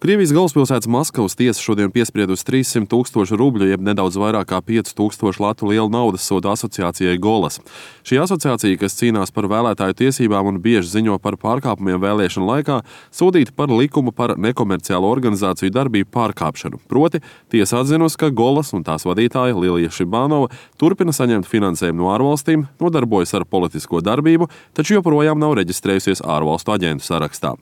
Krievijas galvaspilsētas Maskavas tiesa šodien piespriedusi 300 000 rubļu, jeb nedaudz vairāk kā 5000 latu lielu naudas sodu asociācijai Golas. Šī asociācija, kas cīnās par vēlētāju tiesībām un bieži ziņo par pārkāpumiem vēlēšanu laikā, sodīta par likumu par nekomerciālo organizāciju darbību pārkāpšanu. Proti, tiesa atzinusi, ka Golas un tās vadītāja Lilija Šibanova turpina saņemt finansējumu no ārvalstīm, nodarbojas ar politisko darbību, taču joprojām nav reģistrējusies ārvalstu aģentu sarakstā.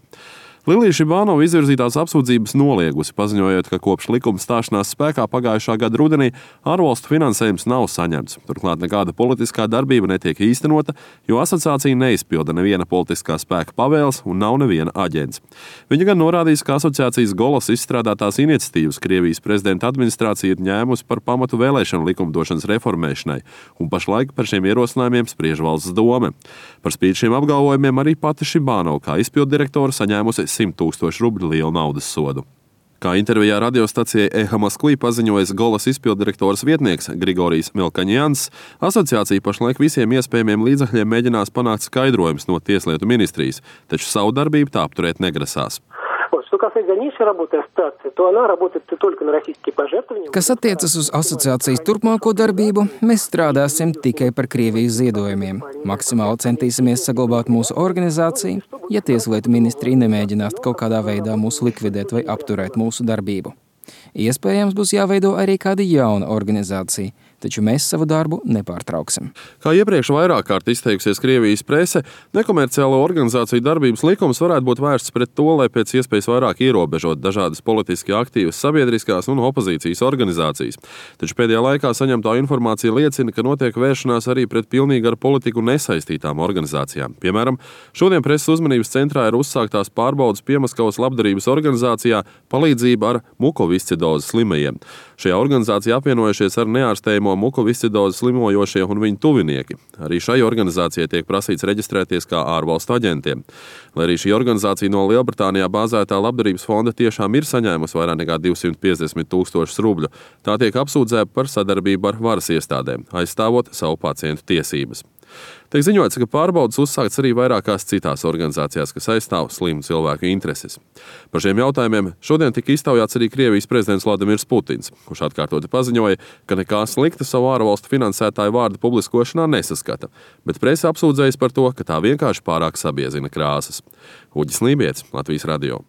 Lilija Šibanova izvirzītās apsūdzības noliegusi, paziņojot, ka kopš likuma stāšanās spēkā pagājušā gada rudenī ārvalstu finansējums nav saņemts. Turklāt nekāda politiskā darbība netiek īstenota, jo asociācija neizpilda neviena politiskā spēka pavēles un nav neviena aģents. Viņa gan norādījis, ka asociācijas Golas izstrādātās iniciatīvas Krievijas prezidenta administrācija ir ņēmusi par pamatu vēlēšanu likumdošanas reformēšanai, un pašlaik par šiem ierosinājumiem spriež valsts dome. Par spīti šiem apgalvojumiem arī pati Šibanova kā izpilddirektora saņēmusi 100 000 rubļu lielu naudas sodu. Kā intervijā radiostacijai Eha Moskvī paziņojis Golas izpilddirektoras vietnieks Grigorijs Milkaņjans, asociācija pašlaik visiem iespējamiem līdzekļiem mēģinās panākt skaidrojumus no Tieslietu ministrijas, taču savu darbību tā apturēt negrasās. Kas attiecas uz asociācijas turpmāko darbību, mēs strādāsim tikai par Krievijas ziedojumiem. Maksimāli centīsimies saglabāt mūsu organizāciju, ja Tieslietu ministrija nemēģinās kaut kādā veidā mūs likvidēt vai apturēt mūsu darbību. Iespējams, būs jāveido arī kāda jauna organizācija, taču mēs savu darbu nepārtrauksim. Kā iepriekš vairāk kārt izteikusies Krievijas prese, nekomerciālo organizāciju darbības likums varētu būt vērsts pret to, lai pēc iespējas vairāk ierobežot dažādas politiski aktīvas sabiedriskās un opozīcijas organizācijas. Taču pēdējā laikā saņemtā informācija liecina, ka notiek vēršanās arī pret pilnīgi ar politiku nesaistītām organizācijām. Piemēram, šodien preses uzmanības centrā ir uzsāktās pārbaudas Piemaskavas labdarības organizācijā palīdzība ar mukoviscidozes slimajiem. Šajā organizācijā apvienojušies ar neārstējamo mukoviscidozes slimojošie un viņu tuvinieki. Arī šai organizācijai tiek prasīts reģistrēties kā ārvalstu aģentiem. Lai arī šī organizācija no Lielbritānijā bāzētā labdarības fonda tiešām ir saņēmusi vairāk nekā 250 000 rubļu, tā tiek apsūdzēta par sadarbību ar varas iestādēm, aizstāvot savu pacientu tiesības. Tiek ziņots, ka pārbaudas uzsākts arī vairākās citās organizācijās, kas aizstāv slimu cilvēku intereses. Par šiem jautājumiem šodien tika iztaujāts arī Krievijas prezidents Vladimirs Putins, kurš atkārtoti paziņoja, ka nekā slikta savu ārvalstu finansētāju vārdu publiskošanā nesaskata, bet prese apsūdzējas par to, ka tā vienkārši pārāk sabiezina krāsas. Uģis Lībietis, Latvijas radio.